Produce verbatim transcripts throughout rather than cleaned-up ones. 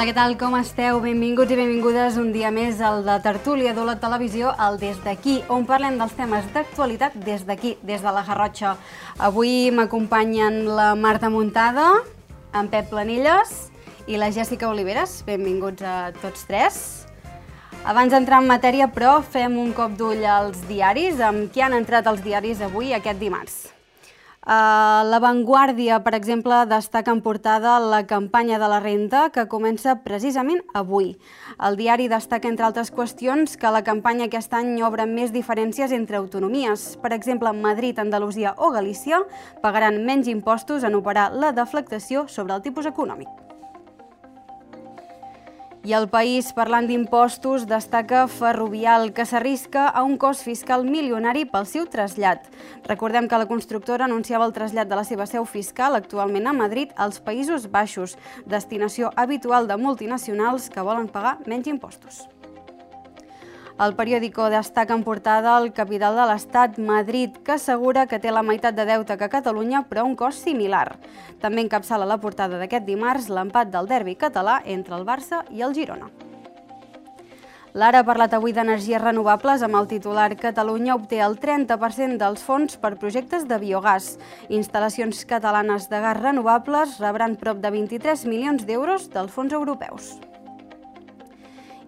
Hola, què tal? Com esteu? Benvinguts i benvingudes un dia més al de Tertúlia de la Televisió, al Des d'aquí, on parlem dels temes d'actualitat des d'aquí, des de la Garrotxa. Avui m'acompanyen la Marta Muntada, en Pep Planilles i la Jèssica Oliveres. Benvinguts a tots tres. Abans d'entrar en matèria, però, fem un cop d'ull als diaris, amb qui han entrat els diaris avui, aquest dimarts. Uh, La Vanguardia, per exemple, destaca en portada la campanya de la renda que comença precisament avui. El diari destaca, entre altres qüestions, que la campanya aquest any obre més diferències entre autonomies. Per exemple, Madrid, Andalusia o Galícia pagaran menys impostos en operar la deflactació sobre el tipus econòmic. I el País, parlant d'impostos, destaca Ferrovial, que s'arrisca a un cost fiscal milionari pel seu trasllat. Recordem que la constructora anunciava el trasllat de la seva seu fiscal, actualment a Madrid, als Països Baixos, destinació habitual de multinacionals que volen pagar menys impostos. El periòdico destaca en portada el capital de l'Estat, Madrid, que assegura que té la meitat de deute que Catalunya, però a un cost similar. També encapçala la portada d'aquest dimarts l'empat del derbi català entre el Barça i el Girona. L'Ara ha parlat avui d'energies renovables amb el titular Catalunya obté el trenta per cent dels fons per projectes de biogàs. Instal·lacions catalanes de gas renovables rebran prop de vint-i-tres milions d'euros dels fons europeus.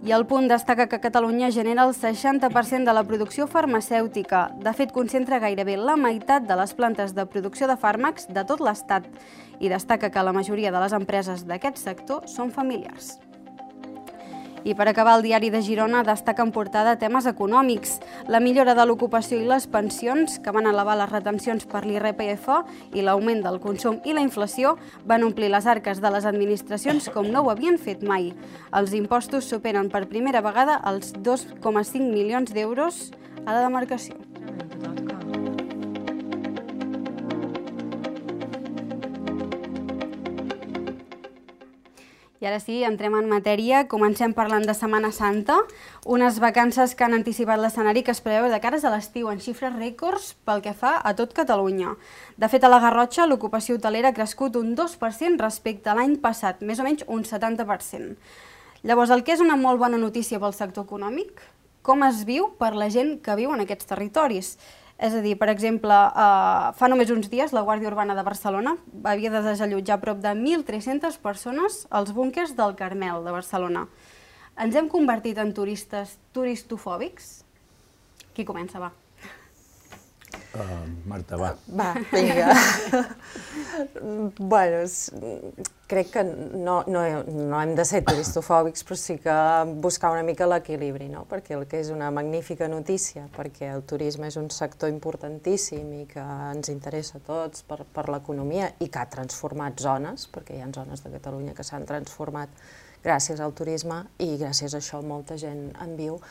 I El Punt destaca que Catalunya genera el seixanta per cent de la producció farmacèutica. De fet, concentra gairebé la meitat de les plantes de producció de fàrmacs de tot l'Estat i destaca que la majoria de les empreses d'aquest sector són familiars. I per acabar, el diari de Girona destaca en portada temes econòmics. La millora de l'ocupació i les pensions, que van elevar les retencions per l'I R P F i l'augment del consum i la inflació, van omplir les arques de les administracions com no ho havien fet mai. Els impostos superen per primera vegada els dos coma cinc milions d'euros a la demarcació. I ara sí, entrem en matèria. Comencem parlant de Setmana Santa, unes vacances que han anticipat l'escenari que es preveu de cares a l'estiu en xifres rècords pel que fa a tot Catalunya. De fet, a la Garrotxa l'ocupació hotelera ha crescut un dos per cent respecte a l'any passat, més o menys un setanta per cent. Llavors, el que és una molt bona notícia pel sector econòmic, com es viu per la gent que viu en aquests territoris? És a dir, per exemple, fa només uns dies la Guàrdia Urbana de Barcelona havia de desallotjar prop de mil tres-centes persones als búnquers del Carmel de Barcelona. Ens hem convertit en turistes turistofòbics? Qui comença, va? Marta, va. Va, vinga. Bueno, crec que no hem de ser turistofòbics, però sí que buscar una mica l'equilibri, no? Perquè el que és una magnífica notícia, perquè el turisme és un sector importantíssim i que ens interessa a tots per l'economia i que ha transformat zones, perquè hi ha zones de Catalunya que s'han transformat gràcies al turisme i gràcies a això molta gent en viu.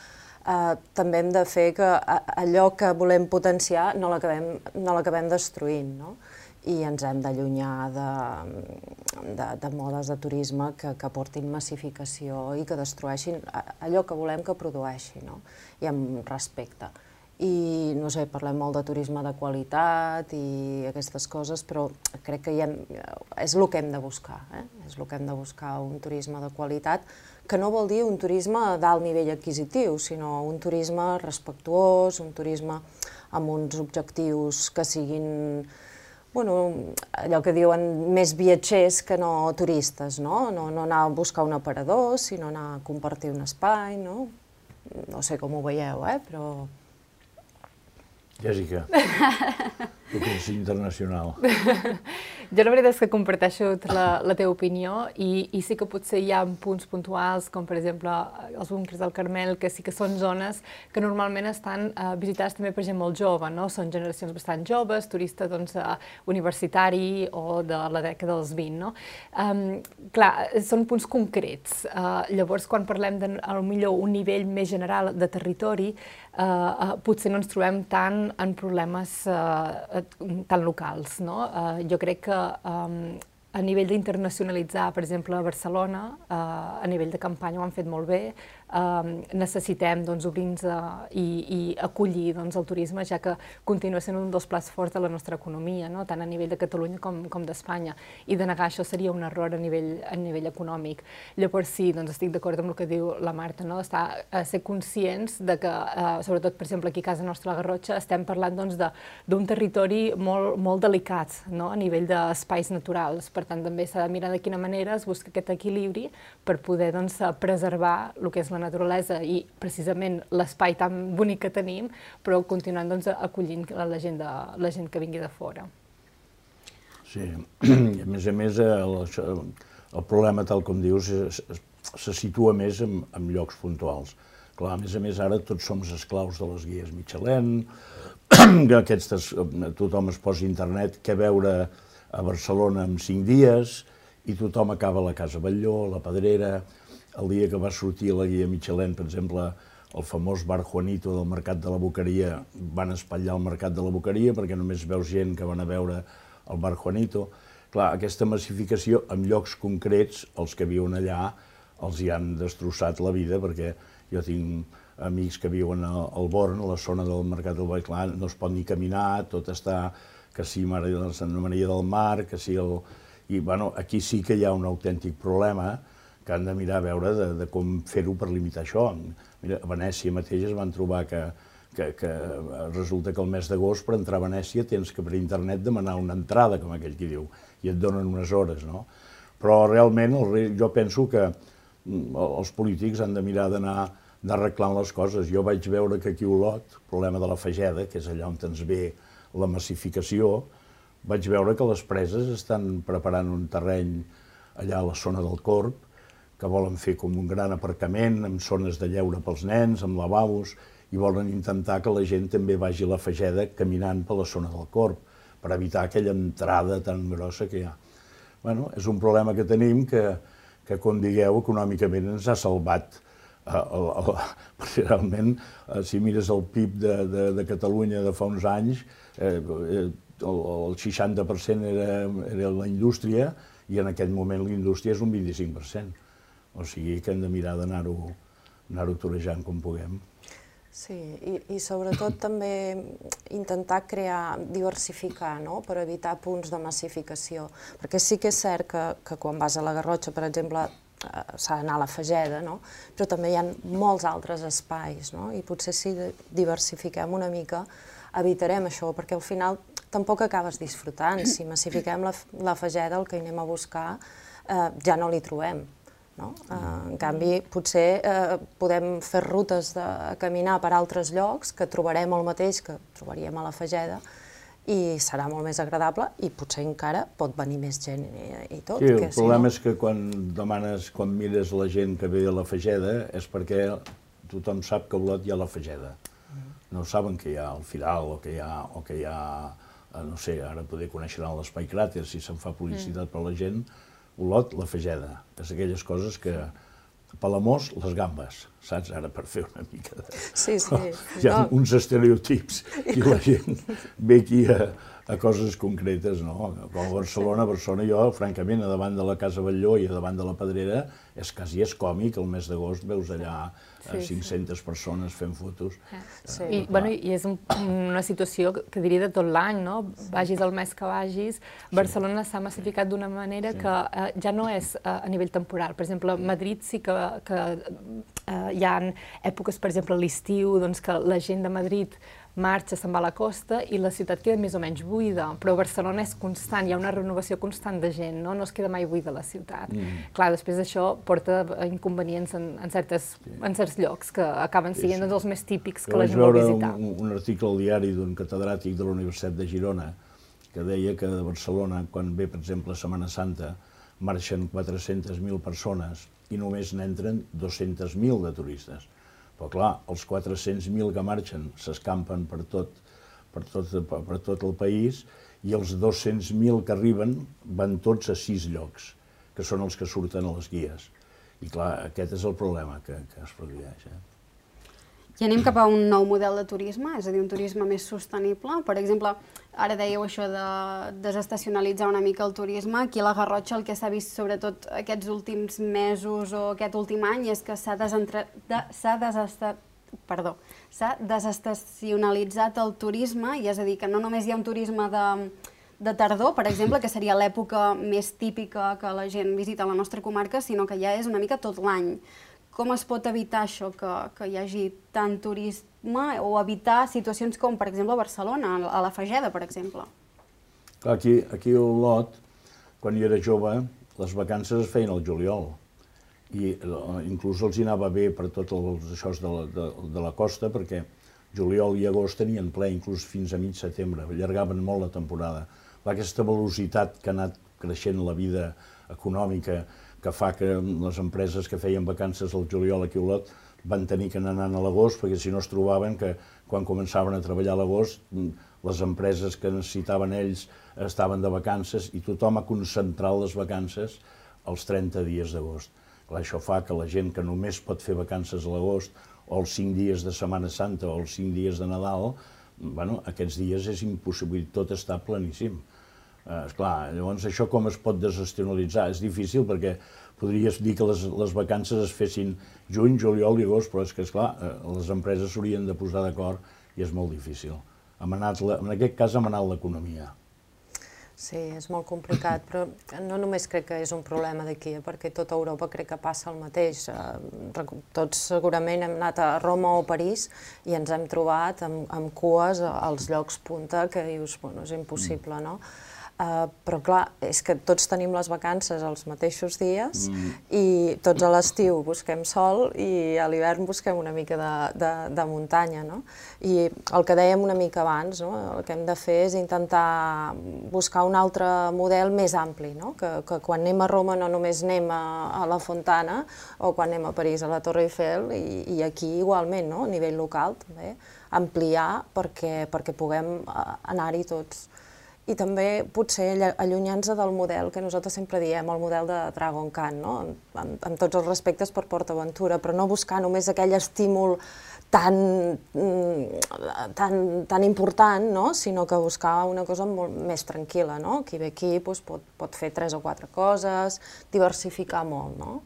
També hem de fer que allò que volem potenciar no l'acabem destruint, no? I ens hem d'allunyar de modes de turisme que portin massificació i que destrueixin allò que volem que produeixi, no? I amb respecte. I, no sé, parlem molt de turisme de qualitat i aquestes coses, però crec que és el que hem de buscar, és el que hem de buscar, un turisme de qualitat, que no vol dir un turisme d'alt nivell adquisitiu, sinó un turisme respectuós, un turisme amb uns objectius que siguin, bueno, allò que diuen més viatgers que no turistes, no? No anar a buscar un aparador, sinó anar a compartir un espai, no? No sé com ho veieu, eh, però... Jèssica, tu que ets internacional. Jo la veritat és que comparteixo la teva opinió i sí que potser hi ha punts puntuals, com per exemple els búnquers del Carmel, que sí que són zones que normalment estan visitades també per gent molt jove, no? Són generacions bastant joves, turista universitari o de la dècada dels vint, no? Clar, són punts concrets. Llavors, quan parlem de, potser, un nivell més general de territori, potser no ens trobem tant en problemes tan locals, no? Jo crec que a nivell d'internacionalitzar, per exemple, a Barcelona, a nivell de campanya ho han fet molt bé, necessitem obrir-nos i acollir el turisme, ja que continua sent un dels plats forts de la nostra economia, tant a nivell de Catalunya com d'Espanya. I denegar això seria un error a nivell econòmic. Llavors sí, estic d'acord amb el que diu la Marta, ser conscients que, sobretot, per exemple, aquí a casa nostra, a la Garrotxa, estem parlant d'un territori molt delicat a nivell d'espais naturals. Per tant, també s'ha de mirar de quina manera es busca aquest equilibri per poder preservar el que és la naturalesa i, precisament, l'espai tan bonic que tenim, però continuant acollint la gent que vingui de fora. Sí, a més a més, el problema, tal com dius, se situa més en llocs puntuals. Clar, a més a més, ara tots som esclaus de les guies Michelin, que tothom es posa a internet què veure a Barcelona en cinc dies i tothom acaba a la Casa Batlló, a la Pedrera. El dia que va sortir la guia Michelin, per exemple, el famós bar Juanito del Mercat de la Boqueria, van espatllar el Mercat de la Boqueria perquè només veus gent que van a veure el bar Juanito. Clar, aquesta massificació en llocs concrets, els que viuen allà, els hi han destrossat la vida, perquè jo tinc amics que viuen al Born, a la zona del Mercat del Boi, clar, no es pot ni caminar, tot està, que sí, Santa Maria del Mar, que sí el... I, bueno, aquí sí que hi ha un autèntic problema que han de mirar a veure de com fer-ho per limitar això. Mira, a Venècia mateix es van trobar que resulta que el mes d'agost per entrar a Venècia tens que per internet demanar una entrada, com aquell qui diu, i et donen unes hores, no? Però realment jo penso que els polítics han de mirar d'anar arreglant les coses. Jo vaig veure que aquí a Olot, el problema de la Fageda, que és allà on ens ve la massificació, vaig veure que les preses estan preparant un terreny allà a la zona del Corb, que volen fer com un gran aparcament, amb zones de lleure pels nens, amb lavabos, i volen intentar que la gent també vagi a la Fageda caminant per la zona del Corb, per evitar aquella entrada tan grossa que hi ha. Bueno, és un problema que tenim que, com digueu, econòmicament ens ha salvat. Realment, si mires el P I B de Catalunya de fa uns anys, el seixanta per cent era la indústria i en aquest moment la indústria és un vint-i-cinc per cent. O sigui que hem de mirar d'anar-ho torejant com puguem. Sí, i sobretot també intentar crear, diversificar, per evitar punts de massificació. Perquè sí que és cert que quan vas a la Garrotxa, per exemple, s'ha d'anar a la Fageda, però també hi ha molts altres espais, i potser si diversifiquem una mica evitarem això, perquè al final tampoc acabes disfrutant. Si massifiquem la Fageda, el que hi anem a buscar ja no l'hi trobem. En canvi, potser podem fer rutes de caminar per altres llocs que trobarem el mateix que trobaríem a la Fageda i serà molt més agradable i potser encara pot venir més gent i tot. Sí, el problema és que quan demanes, quan mires la gent que ve a la Fageda és perquè tothom sap que a Olot hi ha la Fageda. No saben que hi ha el Firal o que hi ha, no sé, ara poder conèixer l'Espai Cràter si se'n fa publicitat per la gent. Olot, la Fageda, és aquelles coses que... Palamós, les gambes, saps? Ara per fer una mica de... Sí, sí. Hi ha uns estereotips i la gent ve aquí a coses concretes, no? Com a Barcelona, a Barcelona jo, francament, a davant de la Casa Batlló i a davant de la Pedrera, és quasi és còmic, el mes d'agost veus allà cinc-centes persones fent fotos. I és una situació que diria de tot l'any, no? Vagis el mes que vagis, Barcelona s'ha massificat d'una manera que ja no és a nivell temporal. Per exemple, a Madrid sí que hi ha èpoques, per exemple, a l'estiu, que la gent de Madrid marxa, se'n va a la costa i la ciutat queda més o menys buida, però Barcelona és constant, hi ha una renovació constant de gent, no es queda mai buida la ciutat. Clar, després això porta inconvenients en certs llocs que acaben sent els més típics que la gent vol visitar. Jo vaig veure un article al diari d'un catedràtic de la Universitat de Girona que deia que de Barcelona, quan ve, per exemple, Setmana Santa, marxen quatre-centes mil persones i només n'entren dos-centes mil de turistes. Però clar, els quatre-cents mil que marxen s'escampen per tot el país i els dos-cents mil que arriben van tots a sis llocs, que són els que surten a les guies. I clar, aquest és el problema que es produeix. I anem cap a un nou model de turisme, és a dir, un turisme més sostenible. Per exemple, ara dèieu això de desestacionalitzar una mica el turisme. Aquí a la Garrotxa el que s'ha vist sobretot aquests últims mesos o aquest últim any és que s'ha desestacionalitzat el turisme, i és a dir, que no només hi ha un turisme de, de tardor, per exemple, que seria l'època més típica que la gent visita la nostra comarca, sinó que ja és una mica tot l'any. Com es pot evitar això, que, que hi hagi tant turisme, o evitar situacions com, per exemple, a Barcelona, a la Fageda, per exemple? Aquí, aquí a Olot, quan jo era jove, les vacances es feien al juliol. I inclús els hi anava bé per tots els això de la, de, de la costa, perquè juliol i agost tenien ple, inclús fins a mig setembre, allargaven molt la temporada. Aquesta velocitat que ha anat creixent la vida econòmica, que fa que les empreses que feien vacances al juliol aquí a Olot van tenir que anar a l'agost, perquè si no es trobaven que quan començaven a treballar a l'agost les empreses que necessitaven ells estaven de vacances i tothom ha concentrat les vacances als trenta dies d'agost. Això fa que la gent que només pot fer vacances a l'agost o els cinc dies de Setmana Santa o els cinc dies de Nadal, bueno, aquests dies és impossible, tot està planíssim. Eh, esclar, llavors això com es pot desestacionalitzar? És difícil perquè podries dir que les, les vacances es fessin juny, juliol i agost, però és que, esclar, eh, les empreses s'haurien de posar d'acord i és molt difícil. Hem anat, en aquest cas hem anat l'economia. Sí, és molt complicat, però no només crec que és un problema d'aquí, perquè a tota Europa crec que passa el mateix. Tots segurament hem anat a Roma o París i ens hem trobat amb, amb cues als llocs punta que dius, bueno, és impossible, no? Uh, però clar, és que tots tenim les vacances els mateixos dies mm. i tots a l'estiu busquem sol i a l'hivern busquem una mica de, de, de muntanya, no? I el que dèiem una mica abans, no? El que hem de fer és intentar buscar un altre model més ampli, no? Que, que quan anem a Roma no només anem a, a la Fontana o quan anem a París a la Torre Eiffel i, i aquí igualment, no? A nivell local també, ampliar perquè, perquè puguem anar-hi tots. I també potser allunyant-se del model que nosaltres sempre diem, el model de Dragon Khan, no? amb, amb tots els respectes per PortAventura, però no buscar només aquell estímul tan, tan, tan important, no? Sinó que buscar una cosa molt més tranquil·la, no? Qui ve aquí doncs, pot, pot fer tres o quatre coses, diversificar molt, no?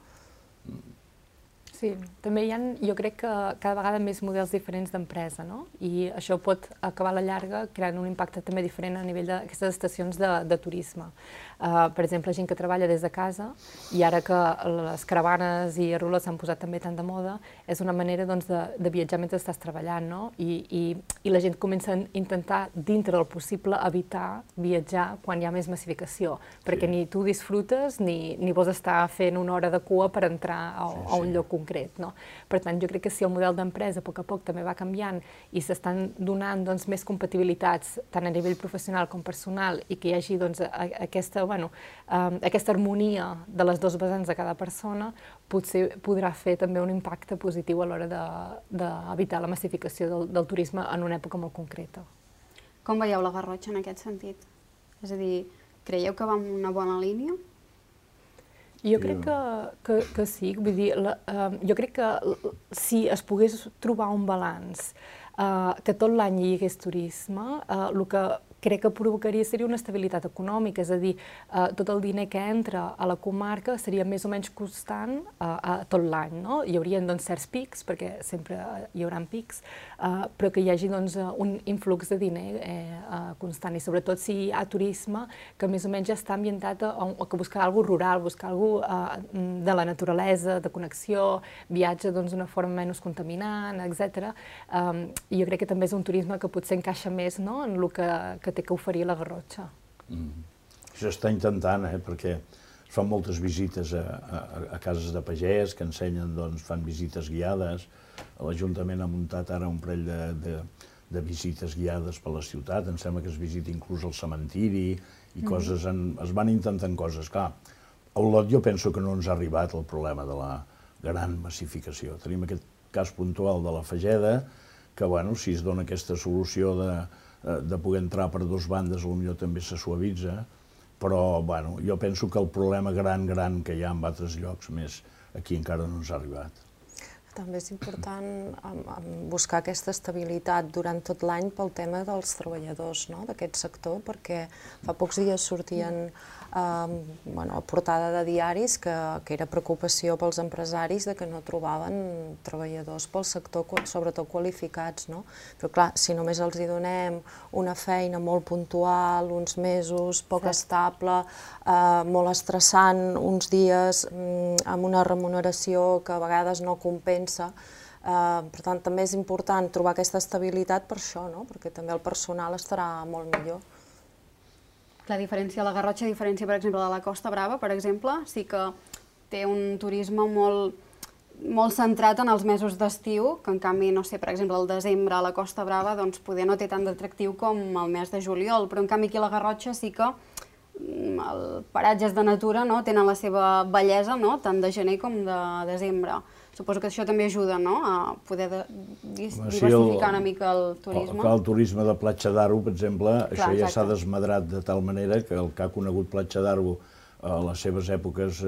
Sí, també hi ha, jo crec que cada vegada més models diferents d'empresa, no? I això pot acabar a la llarga creant un impacte també diferent a nivell d'aquestes estacions de, de turisme. Uh, per exemple, gent que treballa des de casa, i ara que les caravanes i rules s'han posat també tant de moda, és una manera doncs, de, de viatjar mentre estàs treballant, no? I, i, i la gent comença a intentar, dintre del possible, evitar viatjar quan hi ha més massificació, perquè ni tu disfrutes ni, ni vols estar fent una hora de cua per entrar a, a un lloc concret. Concret, no? Per tant, jo crec que si el model d'empresa a poc a poc també va canviant i s'estan donant doncs, més compatibilitats tant a nivell professional com personal i que hi hagi doncs, aquesta, bueno, um, aquesta harmonia de les dues vessants de cada persona, potser podrà fer també un impacte positiu a l'hora d'evitar la massificació del, del turisme en una època molt concreta. Com veieu la Garrotxa en aquest sentit? És a dir, creieu que va en una bona línia? Jo crec que, que, que sí, vull dir, la, uh, jo crec que si es pogués trobar un balanç, uh, que tot l'any hi hagués turisme, uh, el que crec que provocaria seria una estabilitat econòmica, és a dir, uh, tot el diner que entra a la comarca seria més o menys constant uh, a tot l'any, no? Hi haurien doncs, certs pics, perquè sempre hi haurà pics, uh, però que hi hagi doncs, un influx de diner eh, uh, constant, i sobretot si hi ha turisme que més o menys ja està ambientat a, a buscar alguna cosa rural, buscar alguna cosa uh, de la naturalesa, de connexió, viatge d'una doncs, forma menys contaminant, etcètera. Um, I jo crec que també és un turisme que potser encaixa més, no?, en el que, que té que oferir la Garrotxa. Mm. Això està intentant, eh, perquè es fan moltes visites a, a, a cases de pagès que ensenyen, doncs, fan visites guiades. L'Ajuntament ha muntat ara un parell de, de, de visites guiades per la ciutat, em sembla que es visita inclús el cementiri i mm. coses, en, es van intentant coses. Clar, a Olot jo penso que no ens ha arribat el problema de la gran massificació. Tenim aquest cas puntual de la Fageda, que, bueno, si es dona aquesta solució de de poder entrar per dues bandes, potser també se suavitza, però bueno, jo penso que el problema gran, gran que hi ha en altres llocs, més aquí encara no ens ha arribat. També és important buscar aquesta estabilitat durant tot l'any pel tema dels treballadors d'aquest sector, perquè fa pocs dies sortien a portada de diaris que era preocupació pels empresaris de que no trobaven treballadors pel sector, sobretot qualificats. Però clar, si només els hi donem una feina molt puntual, uns mesos, poc estable, molt estressant, uns dies amb una remuneració que a vegades no compensa. Per tant, també és important trobar aquesta estabilitat per això, perquè també el personal estarà molt millor. La diferència, la Garrotxa, a diferència, per exemple, de la Costa Brava, per exemple, sí que té un turisme molt centrat en els mesos d'estiu, que en canvi, no sé, per exemple, el desembre a la Costa Brava, doncs poder no té tant d'atractiu com el mes de juliol, però en canvi aquí a la Garrotxa sí que els paratges de natura tenen la seva bellesa tant de gener com de desembre. Suposo que això també ajuda a poder diversificar una mica el turisme. El turisme de Platja d'Aro, per exemple, això ja s'ha desmadrat de tal manera que el que ha conegut Platja d'Aro a les seves èpoques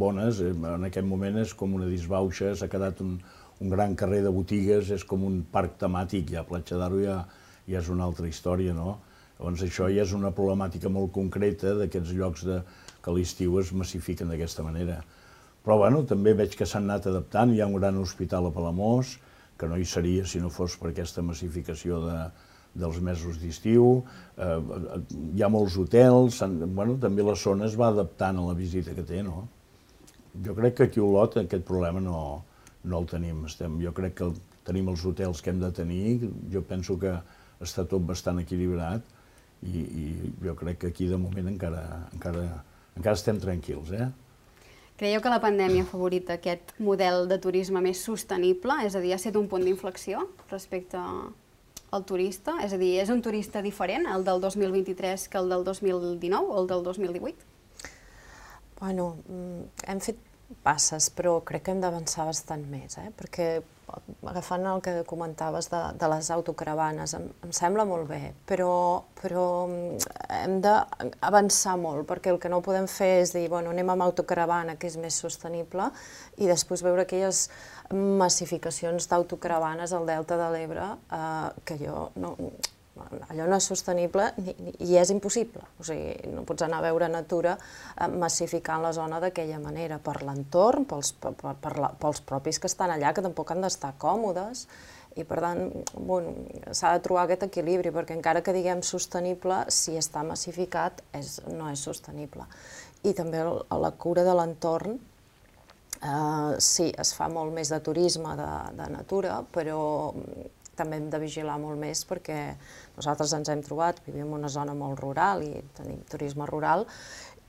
bones, en aquest moment és com una disbauxa, s'ha quedat un gran carrer de botigues, és com un parc temàtic, ja Platja d'Aro ja és una altra història, no? Llavors això ja és una problemàtica molt concreta d'aquests llocs que a l'estiu es massifiquen d'aquesta manera. Però bueno, també veig que s'han anat adaptant, hi ha un gran hospital a Palamós, que no hi seria si no fos per aquesta massificació dels mesos d'estiu, hi ha molts hotels, també la zona es va adaptant a la visita que té, no? Jo crec que aquí a Olot aquest problema no el tenim, jo crec que tenim els hotels que hem de tenir, jo penso que està tot bastant equilibrat i jo crec que aquí de moment encara estem tranquils, eh? Creieu que la pandèmia ha favorit aquest model de turisme més sostenible? És a dir, ha estat un punt d'inflexió respecte al turista? És a dir, és un turista diferent, el del dos mil vint-i-tres, que el del dos mil dinou o el del dos mil divuit? Bueno, hem fet passes, però crec que hem d'avançar bastant més, perquè agafant el que comentaves de les autocaravanes, em sembla molt bé, però hem d'avançar molt, perquè el que no podem fer és dir, bueno, anem amb autocaravana, que és més sostenible, i després veure aquelles massificacions d'autocaravanes al Delta de l'Ebre, que jo no... allò no és sostenible i és impossible. O sigui, no pots anar a veure natura massificant la zona d'aquella manera, per l'entorn, pels propis que estan allà, que tampoc han d'estar còmodes, i per tant s'ha de trobar aquest equilibri, perquè encara que diguem sostenible, si està massificat no és sostenible. I també la cura de l'entorn, sí, es fa molt més de turisme de natura, però també hem de vigilar molt més perquè nosaltres ens hem trobat, vivim en una zona molt rural i tenim turisme rural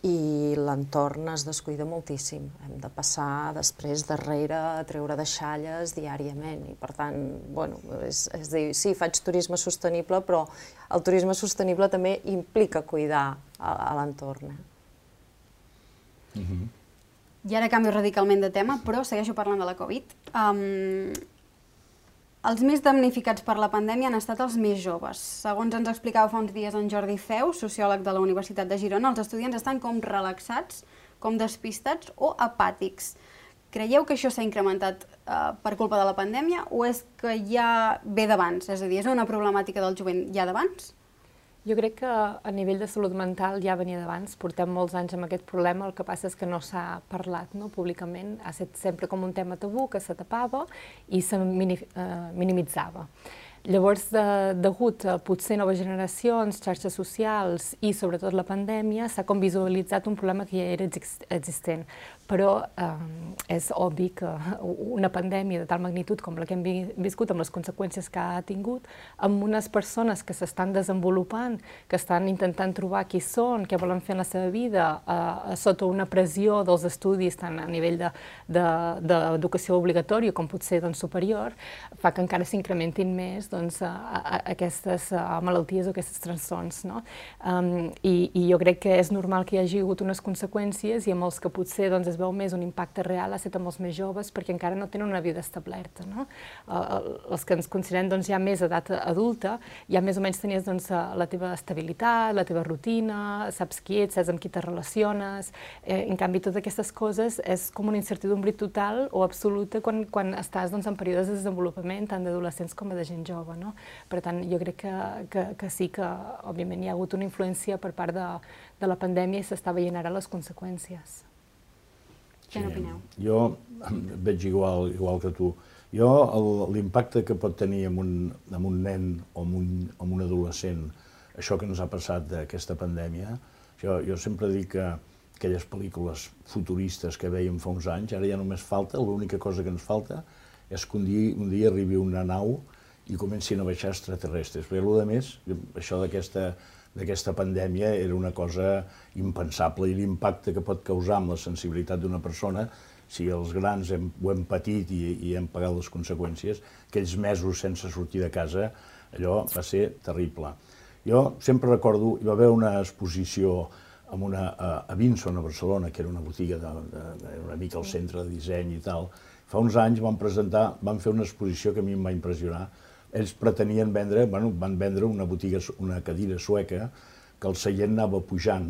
i l'entorn es descuida moltíssim. Hem de passar després darrere a treure deixalles diàriament i per tant, bueno, és dir, sí, faig turisme sostenible, però el turisme sostenible també implica cuidar l'entorn. I ara canvio radicalment de tema, però segueixo parlant de la Covid. Els més damnificats per la pandèmia han estat els més joves. Segons ens explicava fa uns dies en Jordi Feu, sociòleg de la Universitat de Girona, els estudiants estan com relaxats, com despistats o apàtics. Creieu que això s'ha incrementat per culpa de la pandèmia o és que ja ve d'abans? És a dir, és una problemàtica del jovent ja d'abans? Jo crec que a nivell de salut mental ja venia d'abans, portem molts anys amb aquest problema, el que passa és que no s'ha parlat públicament, ha estat sempre com un tema tabú que se tapava i se minimitzava. Llavors, degut a potser noves generacions, xarxes socials i sobretot la pandèmia, s'ha com visualitzat un problema que ja era existent. Però és obvi que una pandèmia de tal magnitud com la que hem viscut, amb les conseqüències que ha tingut, amb unes persones que s'estan desenvolupant, que estan intentant trobar qui són, què volen fer en la seva vida, sota una pressió dels estudis, tant a nivell d'educació obligatòria com potser superior, fa que encara s'incrementin més doncs, a, a aquestes malalties o aquests trastorns. No? Um, i, I jo crec que és normal que hi hagi hagut unes conseqüències i amb els que potser doncs, es veu més un impacte real ha estat amb els més joves perquè encara no tenen una vida establerta. No? Uh, els que ens considerem doncs, ja més edat adulta, ja més o menys tenies doncs, la teva estabilitat, la teva rutina, saps qui ets, saps amb qui te relaciones. Eh, en canvi, totes aquestes coses és com una incertidumbre total o absoluta quan, quan estàs doncs, en períodes de desenvolupament, tant d'adolescents com de gent jove. No? Per tant, jo crec que, que, que sí que, òbviament, hi ha hagut una influència per part de, de la pandèmia i s'està veient ara les conseqüències. Què sí, n'opineu? Jo veig igual, igual que tu. Jo, l'impacte que pot tenir en un, en un nen o en un, en un adolescent, això que ens ha passat d'aquesta pandèmia, jo, jo sempre dic que aquelles pel·lícules futuristes que veiem fa uns anys, ara ja només falta, l'única cosa que ens falta és que un dia, un dia arribi una nau i comencin a baixar extraterrestres. Perquè el que més, això d'aquesta pandèmia era una cosa impensable i l'impacte que pot causar amb la sensibilitat d'una persona, si els grans hem, ho hem patit i, i hem pagat les conseqüències, aquells mesos sense sortir de casa, allò va ser terrible. Jo sempre recordo, hi va haver una exposició amb una, a, a Vinson, a Barcelona, que era una botiga, de, de, de, una mica al centre de disseny i tal. Fa uns anys van presentar, van fer una exposició que a mi em va impressionar. Ells pretenien vendre, bueno, van vendre una botiga, una cadira sueca, que el seient anava pujant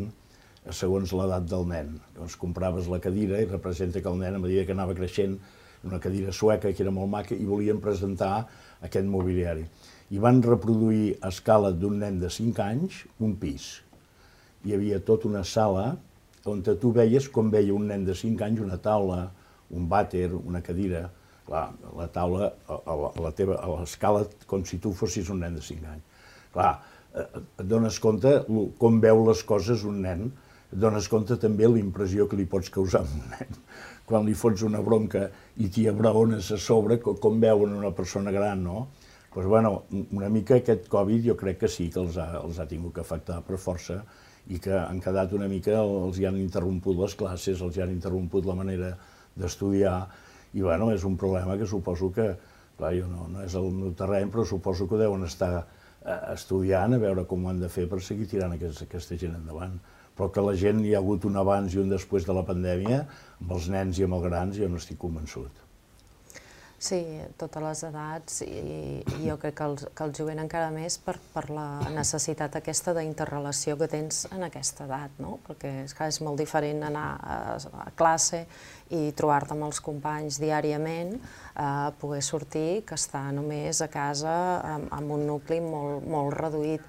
segons l'edat del nen. Llavors compraves la cadira i representa que el nen, a mesura que anava creixent, una cadira sueca que era molt maca, i volien presentar aquest mobiliari. I van reproduir a escala d'un nen de cinc anys un pis. Hi havia tota una sala on tu veies com veia un nen de cinc anys una taula, un vàter, una cadira, clar, la taula a l'escala com si tu fossis un nen de cinc anys. Clar, et dones compte com veu les coses un nen, et dones compte també l'impressió que li pots causar a un nen. Quan li fots una bronca i t'hi abraones a sobre, com veuen una persona gran, no? Doncs, bueno, una mica aquest Covid jo crec que sí que els ha, els ha tingut que afectar per força i que han quedat una mica, els hi han interromput les classes, els hi han interromput la manera d'estudiar, i bueno, és un problema que suposo que, clar, jo no, no és el meu terreny, però suposo que deuen estar estudiant a veure com ho han de fer per seguir tirant aquesta, aquesta gent endavant. Però que la gent hi ha hagut un abans i un després de la pandèmia, amb els nens i amb els grans, jo no estic convençut. Sí, totes les edats, i, i jo crec que el, que el jovent encara més per, per la necessitat aquesta d'interrelació que tens en aquesta edat, no? Perquè és, és molt diferent anar a, a classe i trobar-te amb els companys diàriament, eh, poder sortir, que estar només a casa amb, amb un nucli molt, molt reduït.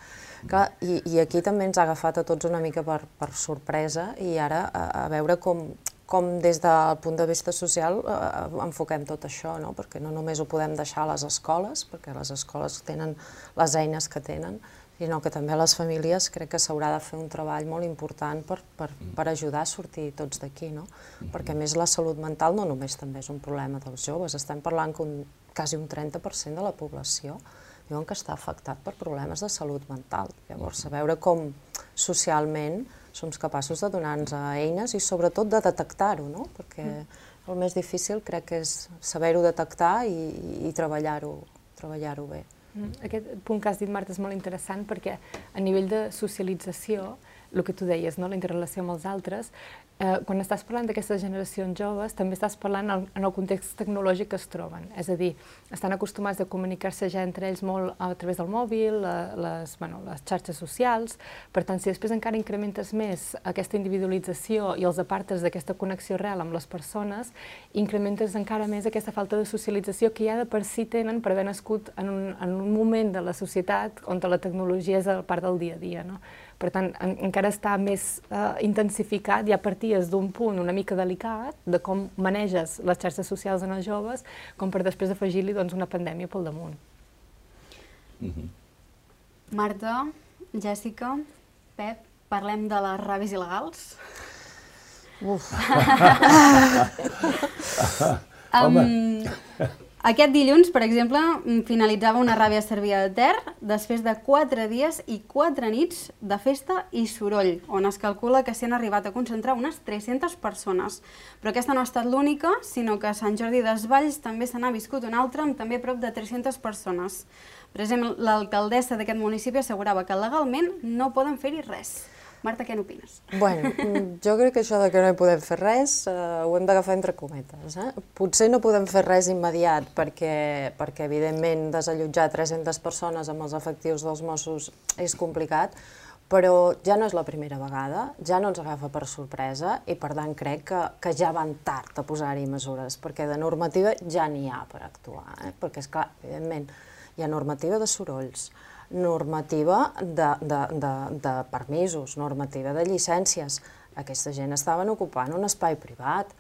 Clar, i, I aquí també ens ha agafat a tots una mica per, per sorpresa, i ara a, a veure com, com des del punt de vista social eh, enfoquem tot això, no? Perquè no només ho podem deixar a les escoles, perquè les escoles tenen les eines que tenen, sinó que també les famílies crec que s'haurà de fer un treball molt important per, per, per ajudar a sortir tots d'aquí, no? Perquè a més la salut mental no només també és un problema dels joves, estem parlant que un, quasi un trenta per cent de la població diuen que està afectat per problemes de salut mental. Llavors, a veure com socialment som capaços de donar-nos eines i sobretot de detectar-ho, no? Perquè el més difícil crec que és saber-ho detectar i, i treballar-ho treballar-ho bé. Aquest punt que has dit, Marta, és molt interessant perquè a nivell de socialització, el que tu deies, no? La interrelació amb els altres, eh, quan estàs parlant d'aquestes generacions joves, també estàs parlant en, en el context tecnològic que es troben. És a dir, estan acostumats a comunicar-se ja entre ells molt a través del mòbil, les, bueno, les xarxes socials. Per tant, si després encara incrementes més aquesta individualització i els apartes d'aquesta connexió real amb les persones, incrementes encara més aquesta falta de socialització que ja de per si tenen per haver nascut en un, en un moment de la societat on la tecnologia és part del dia a dia, no? Per tant, en, encara està més eh, intensificat, ja parties d'un punt una mica delicat de com maneges les xarxes socials en els joves, com per després afegir-li doncs, una pandèmia pel damunt. Mm-hmm. Marta, Jèssica, Pep, parlem de les ràbies il·legals? Uf! um, Aquest dilluns, per exemple, finalitzava una ràbia a Cervià de Ter després de quatre dies i quatre nits de festa i soroll, on es calcula que s'hi han arribat a concentrar unes tres-centes persones. Però aquesta no ha estat l'única, sinó que a Sant Jordi Desvalls també se n'ha viscut una altra amb també prop de tres-centes persones. Per exemple, l'alcaldessa d'aquest municipi assegurava que legalment no poden fer-hi res. Marta, què n'opines? Bueno, jo crec que això de que no hi podem fer res ho hem d'agafar entre cometes. Potser no podem fer res immediat perquè, evidentment, desallotjar tres-centes persones amb els efectius dels Mossos és complicat, però ja no és la primera vegada, ja no ens agafa per sorpresa i, per tant, crec que ja van tard a posar-hi mesures, perquè de normativa ja n'hi ha per actuar. Perquè, esclar, evidentment, hi ha normativa de sorolls, normativa de permisos, normativa de llicències. Aquesta gent estaven ocupant un espai privat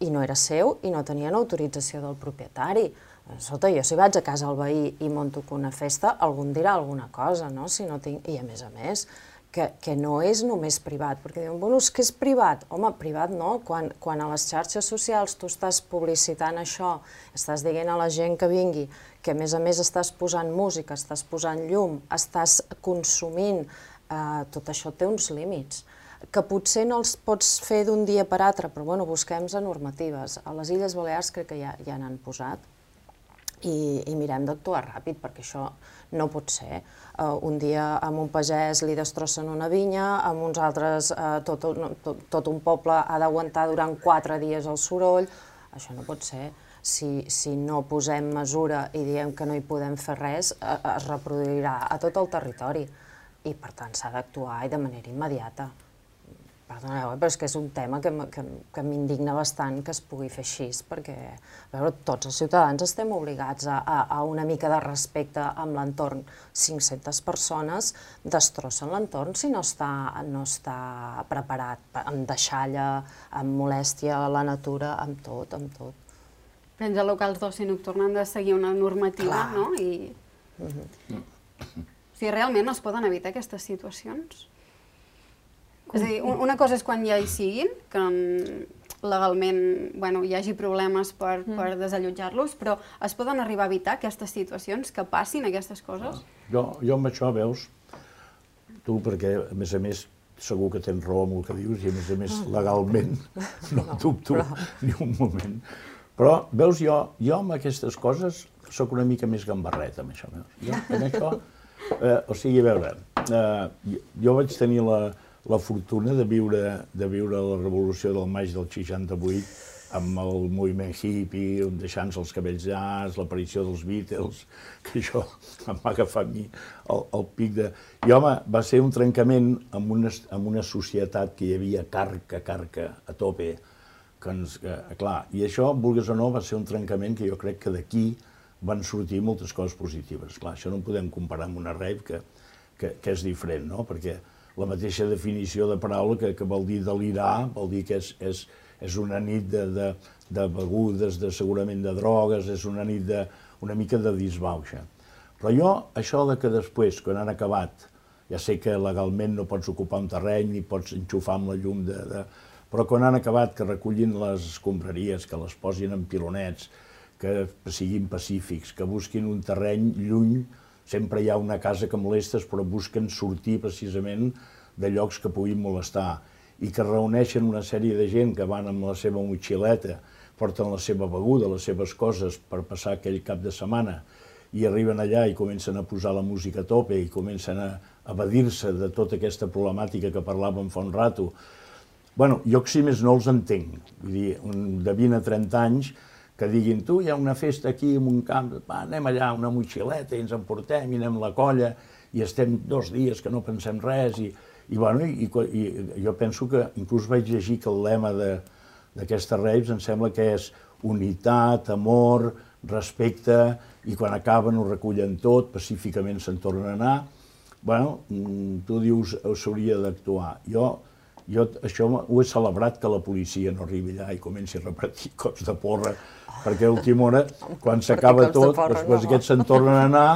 i no era seu i no tenien autorització del propietari. Escolta, jo si vaig a casa al veí i monto una festa, algú em dirà alguna cosa, no? I a més a més, que no és només privat, perquè diuen, bueno, és que és privat. Home, privat no, quan a les xarxes socials tu estàs publicitant això, estàs dient a la gent que vingui, que a més a més estàs posant música, estàs posant llum, estàs consumint, tot això té uns límits, que potser no els pots fer d'un dia per altre, però bueno, busquem-se normatives. A les Illes Balears crec que ja n'han posat i mirem d'actuar ràpid, perquè això no pot ser. Un dia a un pagès li destrossen una vinya, a uns altres tot un poble ha d'aguantar durant quatre dies el soroll. Això no pot ser. Si no posem mesura i diem que no hi podem fer res, es reproduirà a tot el territori i, per tant, s'ha d'actuar i de manera immediata. Perdoneu, però és que és un tema que m'indigna bastant que es pugui fer així, perquè tots els ciutadans estem obligats a una mica de respecte amb l'entorn. cinc-centes persones destrossen l'entorn si no està preparat, amb deixalla, amb molèstia a la natura, amb tot, amb tot. Els locals d'oci nocturn han de seguir una normativa, no? O sigui, realment es poden evitar aquestes situacions? És a dir, una cosa és quan ja hi siguin, que legalment hi hagi problemes per desallotjar-los, però es poden arribar a evitar aquestes situacions, que passin aquestes coses? Jo amb això, veus, tu, perquè a més a més segur que tens raó amb el que dius i a més a més legalment no dubto ni un moment. Però, veus, jo amb aquestes coses soc una mica més gambarret amb això. Jo amb això, o sigui, a veure, jo vaig tenir la la fortuna de viure la revolució del maig del seixanta-vuit amb el moviment hippie, deixant-se els cabells llargs, l'aparició dels Beatles, que això em va agafar a mi el pic de... I, home, va ser un trencament amb una societat que hi havia carca, carca, a tope. Clar, i això, vulguis o no, va ser un trencament que jo crec que d'aquí van sortir moltes coses positives. Clar, això no ho podem comparar amb una rave que és diferent, no? Perquè la mateixa definició de paraula que vol dir delirar, vol dir que és una nit de begudes, segurament de drogues, és una nit una mica de disbauxa. Però jo, això que després, quan han acabat, ja sé que legalment no pots ocupar un terreny ni pots enxufar amb la llum, però quan han acabat que recollin les escombraries, que les posin en pilonets, que siguin pacífics, que busquin un terreny lluny. Sempre hi ha una casa que molestes, però busquen sortir precisament de llocs que puguin molestar i que reuneixen una sèrie de gent que van amb la seva motxileta, porten la seva beguda, les seves coses per passar aquell cap de setmana i arriben allà i comencen a posar la música a tope i comencen a evadir-se de tota aquesta problemàtica que parlàvem fa un rato. Bé, jo si més no els entenc, vull dir, de vint a trenta anys, que diguin, tu, hi ha una festa aquí en un camp, anem allà, una motxileta, i ens emportem, i anem a la colla, i estem dos dies que no pensem res, i jo penso que, inclús vaig llegir que el lema d'aquestes raves em sembla que és unitat, amor, respecte, i quan acaben ho recullen tot, pacíficament se'n tornen a anar. Bé, tu dius, s'hauria d'actuar. Jo, Jo això ho he celebrat, que la policia no arribi allà i comenci a repartir cops de porra, perquè a última hora, quan s'acaba tot, després aquests se'n tornen a anar.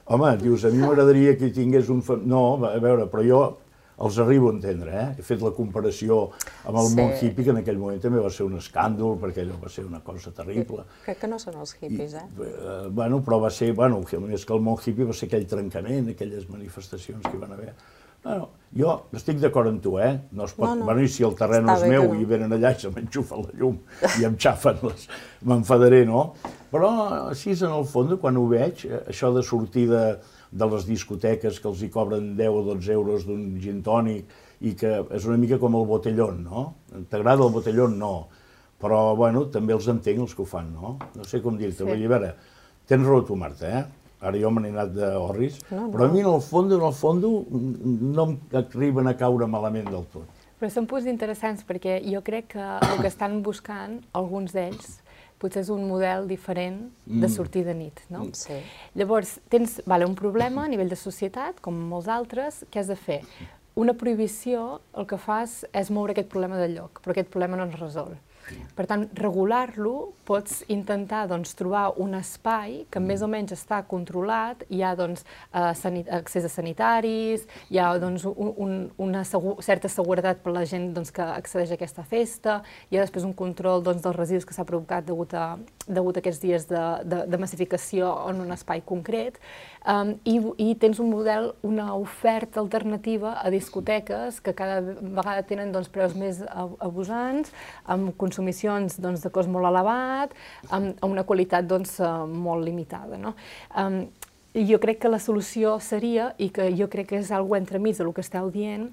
Home, dius, a mi m'agradaria que hi tingués un... No, a veure, però jo els arribo a entendre, eh? He fet la comparació amb el món hippie, que en aquell moment també va ser un escàndol, perquè allò va ser una cosa terrible. Crec que no són els hippies, eh? Bueno, però va ser... Bueno, més que el món hippie va ser aquell trencament, aquelles manifestacions que hi van haver. Bueno, jo estic d'acord amb tu, eh? No es pot... Bueno, i si el terreny és meu i venen allà i se m'enxufen la llum i em xafen les... m'enfadaré, no? Però així, en el fons, quan ho veig, això de sortir de, de les discoteques que els hi cobren deu o dotze euros d'un gin tònic i que és una mica com el botellón, no? T'agrada el botellón? No. Però, bueno, també els entenc els que ho fan, no? No sé com dir-te. Sí. A veure, tens raó tu, Marta, eh? Ara jo me n'he anat d'orris, no, no. Però a mi, en el fons, en el fons, no m'arriben a caure malament del tot. Però són punts interessants, perquè jo crec que el que estan buscant, alguns d'ells, potser és un model diferent de sortir de nit, no? Sí. Llavors, tens vale, un problema a nivell de societat, com molts altres, què has de fer? Una prohibició el que fas és moure aquest problema del lloc, però aquest problema no es resol. Per tant, regular-lo, pots intentar doncs, trobar un espai que més o menys està controlat, hi ha doncs, accés a sanitaris, hi ha doncs, un, una segur, certa seguretat per la gent doncs, que accedeix a aquesta festa, hi ha després un control doncs, dels residus que s'ha provocat degut a, degut a aquests dies de, de, de massificació en un espai concret, um, i, i tens un model, una oferta alternativa a discoteques que cada vegada tenen doncs, preus més abusants, amb consumicions doncs, de cost molt elevat, amb una qualitat doncs, molt limitada. No? Um, jo crec que la solució seria, i que jo crec que és algo entremig del que esteu dient,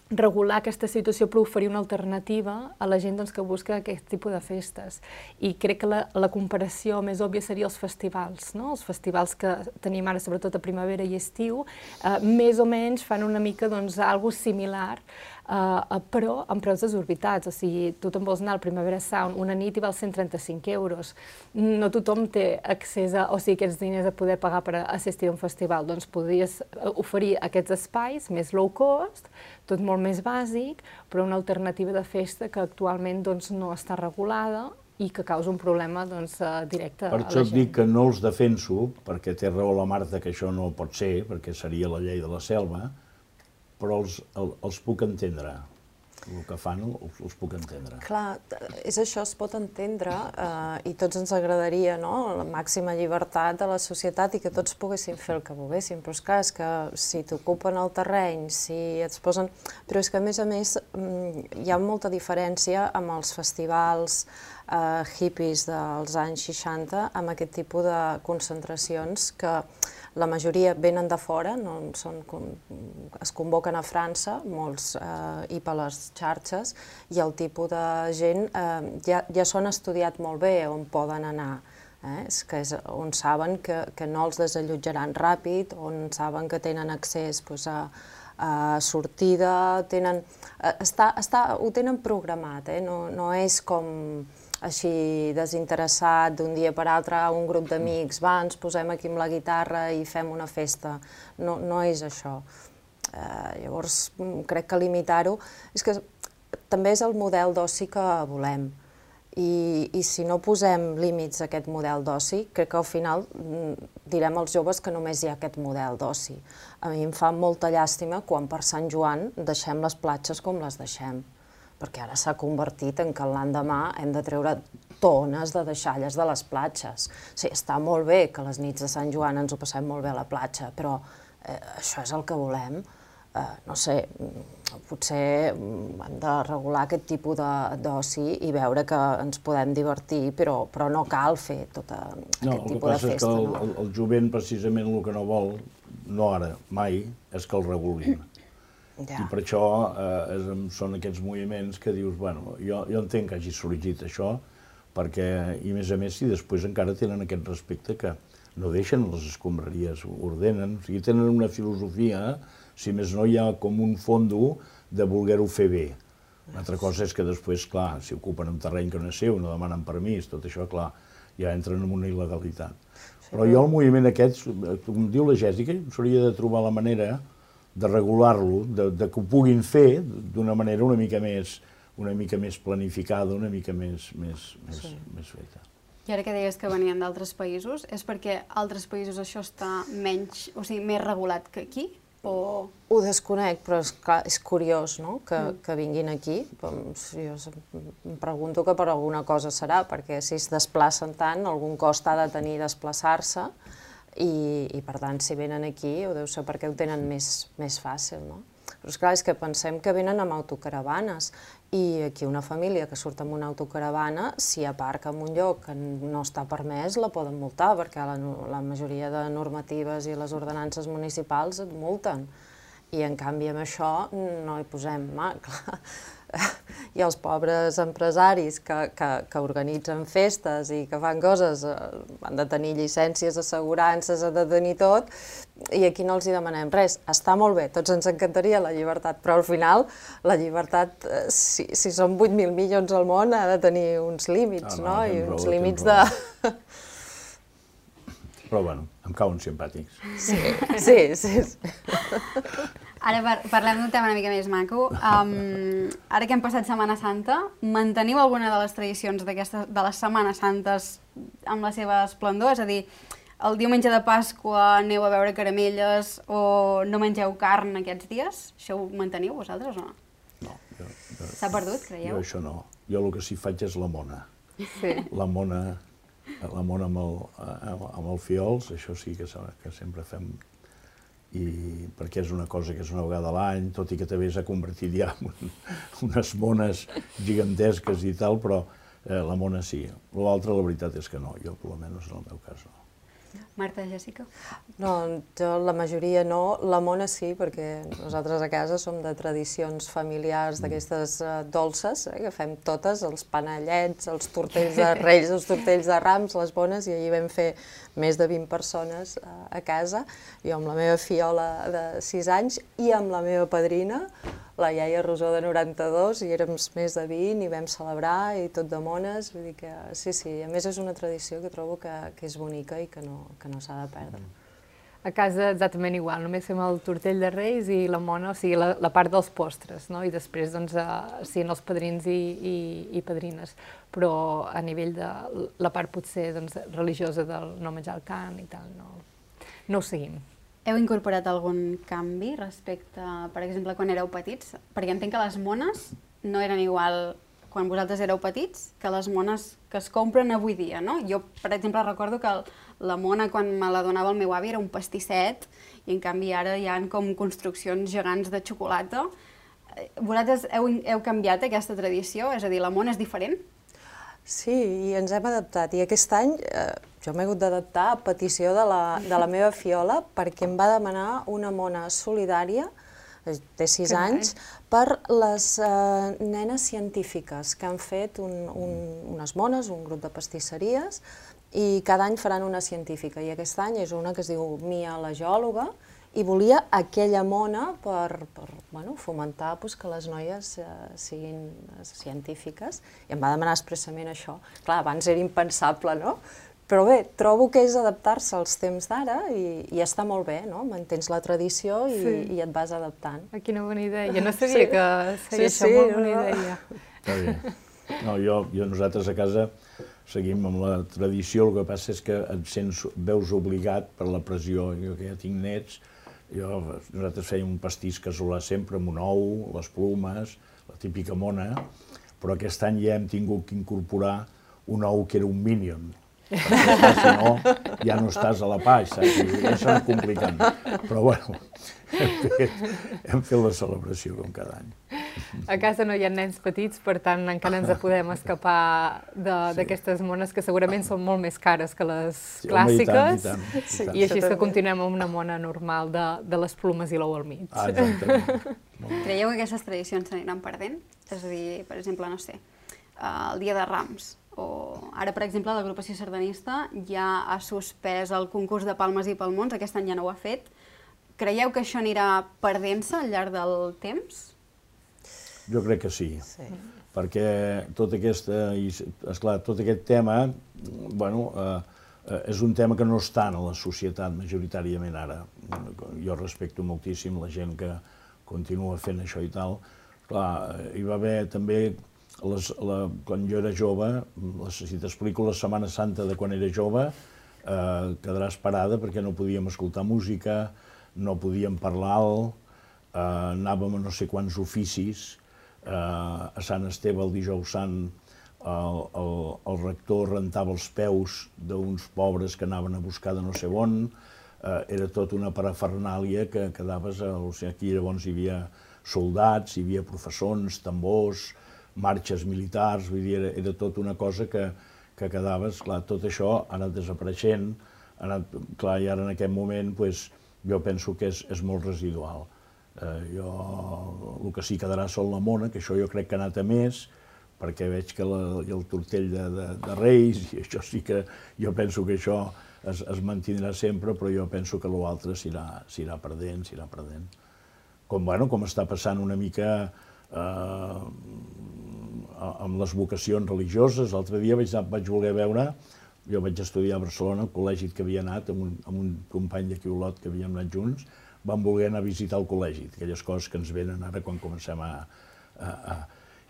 regular aquesta situació per oferir una alternativa a la gent doncs, que busca aquest tipus de festes. I crec que la, la comparació més òbvia seria els festivals, no? Els festivals que tenim ara, sobretot a primavera i estiu, eh, més o menys fan una mica doncs, algo similar, Uh, però amb preus desorbitats, o sigui, tu te'n vols anar al Primavera Sound una nit i val cent trenta-cinc euros. No tothom té accés a, o sigui, aquests diners a poder pagar per assistir a un festival, doncs podries oferir aquests espais més low cost, tot molt més bàsic, però una alternativa de festa que actualment doncs, no està regulada i que causa un problema doncs, directe a la gent. Per això et dic que no els defenso, perquè té raó la Marta que això no pot ser, perquè seria la llei de la selva, però els, el, els puc entendre. El que fan els, els puc entendre. Clar, és això, es pot entendre, eh, i tots ens agradaria, no?, la màxima llibertat de la societat i que tots poguessin fer el que volguessin, però és clar, és que si t'ocupen el terreny, si et posen... Però és que, a més a més, hi ha molta diferència amb els festivals eh, hippies dels anys seixanta, amb aquest tipus de concentracions que la majoria venen de fora, no són, es convoquen a França, molts eh, i per les xarxes, i el tipus de gent eh, ja, ja s'han estudiat molt bé on poden anar, eh? És que és on saben que, que no els desallotjaran ràpid, on saben que tenen accés pues, a, a sortida, tenen, està, està, ho tenen programat, eh? no, no és com així desinteressat d'un dia per altre, un grup d'amics, va, ens posem aquí amb la guitarra i fem una festa. No, no és això. Eh, llavors, crec que limitar-ho... És que també és el model d'oci que volem. I, I si no posem límits a aquest model d'oci, crec que al final direm als joves que només hi ha aquest model d'oci. A mi em fa molta llàstima quan per Sant Joan deixem les platges com les deixem, perquè ara s'ha convertit en que l'endemà hem de treure tones de deixalles de les platges. Sí, està molt bé que les nits de Sant Joan ens ho passem molt bé a la platja, però eh, això és el que volem. Eh, no sé, potser hem de regular aquest tipus d'oci i veure que ens podem divertir, però, però no cal fer tot aquest no, tipus de festa. No, el que passa és que el, el jovent precisament el que no vol, no ara, mai, és que el regulin. Ja. I per això eh, és, són aquests moviments que dius, bueno, jo, jo entenc que hagi sorgit això, perquè, i a més a més, si després encara tenen aquest respecte que no deixen les escombraries, ordenen, o sigui, tenen una filosofia, si més no hi ha com un fondo de voler-ho fer bé. Una altra cosa és que després, clar, si ocupen un terreny que no és seu, no demanen permís, tot això, clar, ja entren en una il·legalitat. Sí, però jo el moviment aquest, com diu la Jèssica, s'hauria de trobar la manera de regular-lo, de, de que ho puguin fer d'una manera una mica més, una mica més planificada, una mica més, més, més, sí. més feta. I ara que deies que venien d'altres països, és perquè a altres països això està menys, o sigui, més regulat que aquí? O... Ho desconec, però és, clar, és curiós, no?, que, mm. que vinguin aquí. Jo em pregunto que per alguna cosa serà, perquè si es desplacen tant, algun cost ha de tenir desplaçar-se, I, i per tant, si venen aquí, ho deu ser perquè ho tenen més, més fàcil, no? Però esclar, és que pensem que venen amb autocaravanes i aquí una família que surt amb una autocaravana, si aparca en un lloc que no està permès, la poden multar, perquè la, la majoria de normatives i les ordenances municipals et multen. I en canvi amb això no hi posem mà, clar. I els pobres empresaris que, que, que organitzen festes i que fan coses, eh, han de tenir llicències, assegurances, han de tenir tot, i aquí no els hi demanem res. Està molt bé, tots ens encantaria la llibertat, però al final la llibertat, eh, si, si són vuit mil milions al món, ha de tenir uns límits, ah, no? no? I uns raó, límits de... Però bueno, em cauen simpàtics. Sí, sí, sí. sí. Ara par parlem d'un tema una mica més maco. Um, ara que hem passat Setmana Santa, manteniu alguna de les tradicions de les Setmanes Santes amb la seva esplendor? És a dir, el diumenge de Pasqua aneu a veure caramelles o no mengeu carn aquests dies? Això ho manteniu vosaltres o no? No. S'ha perdut, creieu? Jo això no. Jo el que sí faig és la mona. Sí. La mona, la mona amb, el, amb el fiols, això sí que, que sempre fem. I perquè és una cosa que és una vegada a l'any, tot i que també s'ha convertit ja en un, unes mones gigantesques i tal, però eh, la mona sí. L'altre, la veritat és que no, jo per almenys en el meu cas no. Marta, Jessica? No, jo la majoria no, la mona sí, perquè nosaltres a casa som de tradicions familiars d'aquestes uh, dolces, eh, que fem totes, els panellets, els tortells de Reis, els tortells de Rams, les bones, i ahir vam fer més de vint persones uh, a casa, jo amb la meva fiola de sis anys i amb la meva padrina, la iaia Rosó de noranta-dos, i érem més de vint i vam celebrar i tot de mones, vull dir que sí, sí, a més és una tradició que trobo que, que és bonica i que no, que no s'ha de perdre. A casa exactament igual, només fem el tortell de Reis i la mona, o sigui, la, la part dels postres, no? I després, doncs, uh, siguin els padrins i, i, i padrines, però a nivell de la part potser doncs, religiosa del no menjar el cant i tal, no, no ho seguim. Heu incorporat algun canvi respecte, per exemple, quan éreu petits? Perquè entenc que les mones no eren igual quan vosaltres éreu petits que les mones que es compren avui dia, no? Jo, per exemple, recordo que la mona, quan me la donava el meu avi, era un pastisset, i en canvi ara hi ha com construccions gegants de xocolata. Vosaltres heu, heu canviat aquesta tradició? És a dir, la mona és diferent? Sí, i ens hem adaptat. I aquest any eh, jo m'he hagut d'adaptar a petició de la, de la meva fiola perquè em va demanar una mona solidària, té sis anys, per les eh, nenes científiques que han fet un, un, unes mones, un grup de pastisseries, i cada any faran una científica. I aquest any és una que es diu Mia la geòloga, i volia aquella mona per, per bueno, fomentar pues, que les noies eh, siguin científiques, i em va demanar expressament això. Clar, abans era impensable, no? Però bé, trobo que és adaptar-se als temps d'ara i, i està molt bé, no? Mantens la tradició i, sí. i et vas adaptant. Ah, quina bona idea, jo no sabia sí. que seria sí, això, sí, molt bona no? idea. Està bé. No, jo, jo, nosaltres a casa seguim amb la tradició, el que passa és que et sents, veus obligat per la pressió, jo que ja tinc nets, jo, nosaltres fèiem un pastís casolà sempre amb un ou, les plomes, la típica mona, però aquest any ja hem tingut que incorporar un ou que era un Minion, perquè si no ja no estàs a la page, saps? I ja s'ha complicant. Però bueno, hem fet, hem fet la celebració com cada any. A casa no hi ha nens petits, per tant encara ens podem escapar d'aquestes mones que segurament són molt més cares que les sí, clàssiques, home, i, tant, i, tant, i, tant. i així que continuem amb una mona normal de, de les plomes i l'ou al mig. Ah, exactament. Creieu que aquestes tradicions s'aniran perdent? És a dir, per exemple, no sé, el Dia de Rams, o ara, per exemple, l'agrupació sardanista ja ha suspès el concurs de palmes i palmons, aquest any ja no ho ha fet. Creieu que això anirà perdent-se al llarg del temps? Jo crec que sí, sí. perquè tot, aquesta, esclar, tot aquest tema bueno, eh, és un tema que no està en la societat majoritàriament ara. Jo respecto moltíssim la gent que continua fent això i tal. Clar, hi va haver també, les, la, quan jo era jove, les, si t'explico la Setmana Santa de quan era jove, eh, quedaràs parada perquè no podíem escoltar música, no podíem parlar alt, eh, anàvem a no sé quants oficis. Uh, a Sant Esteve, el dijous sant, el, el, el rector rentava els peus d'uns pobres que anaven a buscar de no sé on. Uh, era tot una parafernàlia que quedaves... O sigui, aquí llavors hi havia soldats, hi havia professors, tambors, marxes militars, vull dir, era, era tot una cosa que, que quedava, esclar, tot això ha anat desapareixent, ha anat, clar, i ara en aquest moment, pues, jo penso que és, és molt residual. Eh, jo, el que sí quedarà sol la mona, que això jo crec que ha anat a més, perquè veig que la, el tortell de, de, de Reis, i això sí que jo penso que això es, es mantindrà sempre, però jo penso que l'altre s'irà perdent, s'irà perdent. Com, bueno, com està passant una mica eh, amb les vocacions religioses. L'altre dia vaig, vaig voler veure, jo vaig estudiar a Barcelona, al col·legi que havia anat, amb un, amb un company d'aquí Olot que havíem anat junts, vam voler anar a visitar el col·legi, aquelles coses que ens venen ara quan comencem a... a, a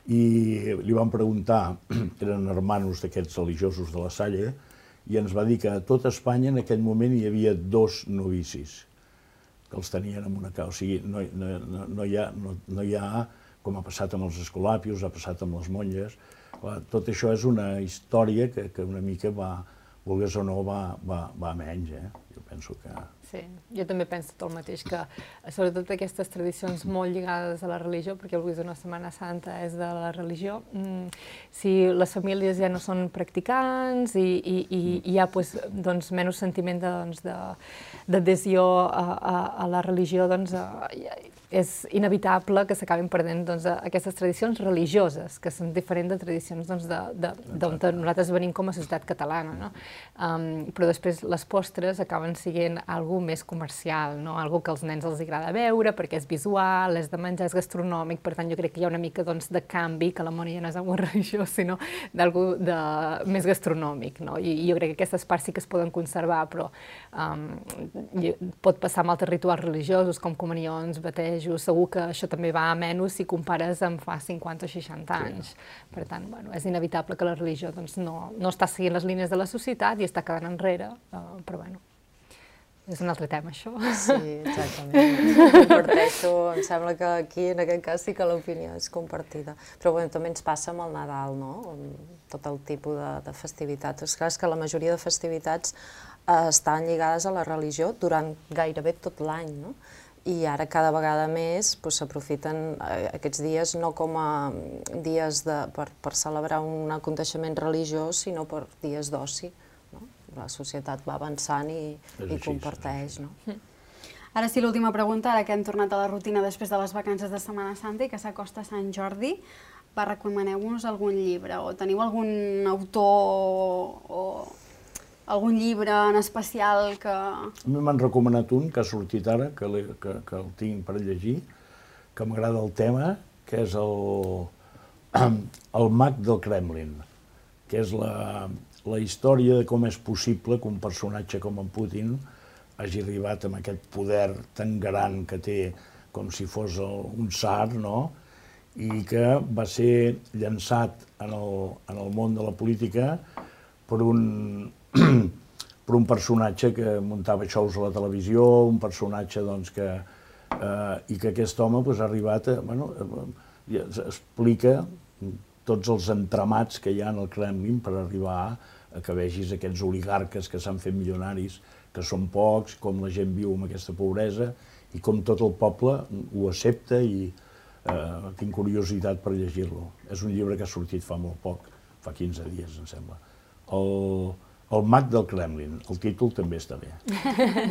i li vam preguntar, eren hermanos d'aquests religiosos de la Salle, i ens va dir que a tot Espanya en aquell moment hi havia dos novicis, que els tenien en una causa. O sigui, no, no, no, hi ha, no, no hi ha, com ha passat amb els escolapios, ha passat amb les monges. Tot això és una història que, que una mica va, vulgués o no, va, va, va a menys. Eh? Jo penso que... Sí, jo també penso tot el mateix, que sobretot aquestes tradicions molt lligades a la religió, perquè avui és una Setmana Santa, és de la religió, si les famílies ja no són practicants i, i, i hi ha pues, doncs, menys sentiment d'adhesió doncs, a, a, a la religió, doncs, és inevitable que s'acabin perdent doncs, aquestes tradicions religioses, que són diferents de tradicions doncs, d'on nosaltres venim com a societat catalana. No? Um, però després les postres acaben sent alguna més comercial, no? Algo que als nens els agrada veure perquè és visual, és de menjar, és gastronòmic, per tant jo crec que hi ha una mica doncs, de canvi, que la mona ja no és algo religiós, sinó d'algo de... més gastronòmic. No? I, I jo crec que aquestes parts sí que es poden conservar, però um, pot passar amb altres rituals religiosos, com comunions, batejos, segur que això també va a menys si compares amb fa cinquanta o seixanta anys. Sí. Per tant, bueno, és inevitable que la religió doncs, no, no està seguint les línies de la societat i està quedant enrere, uh, però bueno. És un altre tema, això. Sí, exactament. Comparteixo, em sembla que aquí, en aquest cas, sí que l'opinió és compartida. Però bueno, també ens passa amb el Nadal, no? Amb tot el tipus de, de festivitats. És clar que la majoria de festivitats eh, estan lligades a la religió durant gairebé tot l'any, no? I ara cada vegada més s'aprofiten doncs, aquests dies no com a dies de, per, per celebrar un aconteixement religiós, sinó per dies d'oci. La societat va avançant i, i comparteix. No? Ara sí, l'última pregunta, ara que hem tornat a la rutina després de les vacances de Setmana Santa i que s'acosta Sant Jordi, va, recomaneu-nos algun llibre o teniu algun autor o algun llibre en especial que... A mi m'han recomanat un que ha sortit ara, que, que, que el tinc per llegir, que m'agrada el tema, que és el, el mag del Kremlin, que és la... la història de com és possible que un personatge com en Putin hagi arribat amb aquest poder tan gran que té com si fos un tsar, no? I que va ser llançat en el, en el món de la política per un, per un personatge que muntava xous a la televisió, un personatge doncs, que, eh, i que aquest home pues, ha arribat a... Bueno, eh, explica tots els entramats que hi ha en el Kremlin per arribar a que vegis aquests oligarques que s'han fet milionaris, que són pocs, com la gent viu amb aquesta pobresa i com tot el poble ho accepta i eh, tinc curiositat per llegir-lo. És un llibre que ha sortit fa molt poc, fa quinze dies, em sembla. El, el mag del Kremlin, el títol també està bé.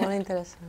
Molt interessant.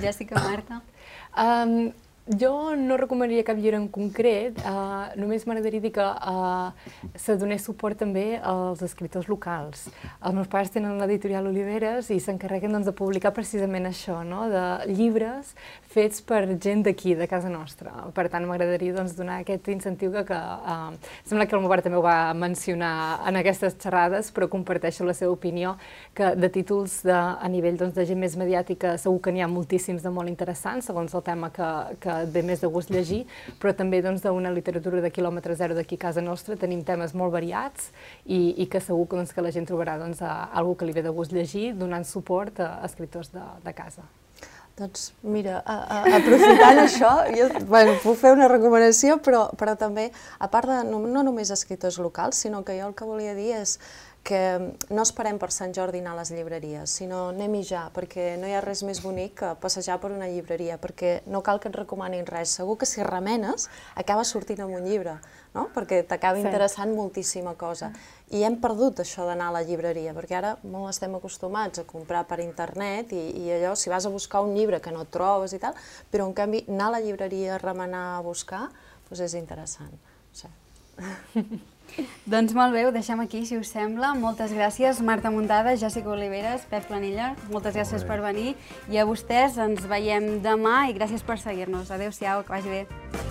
Jessica, Marta? Um, Jo no recomanaria cap llibre en concret, uh, només m'agradaria dir que uh, se donés suport també als escriptors locals. Els meus pares tenen l'editorial Oliveres i s'encarreguen doncs, de publicar precisament això, no? De llibres fets per gent d'aquí, de casa nostra. Per tant, m'agradaria doncs, donar aquest incentiu que, que uh, sembla que el meu pare també ho va mencionar en aquestes xerrades, però comparteixo la seva opinió, que de títols de, a nivell doncs, de gent més mediàtica segur que n'hi ha moltíssims de molt interessants, segons el tema que, que et ve més de gust llegir, però també doncs, d'una literatura de quilòmetre zero d'aquí a casa nostra tenim temes molt variats i, i que segur que, doncs, que la gent trobarà doncs, alguna que li ve de gust llegir, donant suport a escriptors de, de casa. Doncs mira, a, a, aprofitant això, jo bueno, puc fer una recomanació, però, però també, a part de no, no només escriptors locals, sinó que jo el que volia dir és que no esperem per Sant Jordi anar a les llibreries, sinó anem-hi ja, perquè no hi ha res més bonic que passejar per una llibreria, perquè no cal que et recomanin res. Segur que si remenes, acaba sortint amb un llibre, no? Perquè t'acaba interessant moltíssima cosa. I hem perdut això d'anar a la llibreria, perquè ara molt estem acostumats a comprar per internet i, i allò, si vas a buscar un llibre que no et trobes i tal, però en canvi anar a la llibreria, a remenar, a buscar, doncs és interessant. No sé. Doncs molt bé, ho deixem aquí, si us sembla. Moltes gràcies, Marta Muntada, Jessica Oliveres, Pep Planella, moltes gràcies per venir. I a vostès ens veiem demà i gràcies per seguir-nos. Adéu-siau, que vagi bé.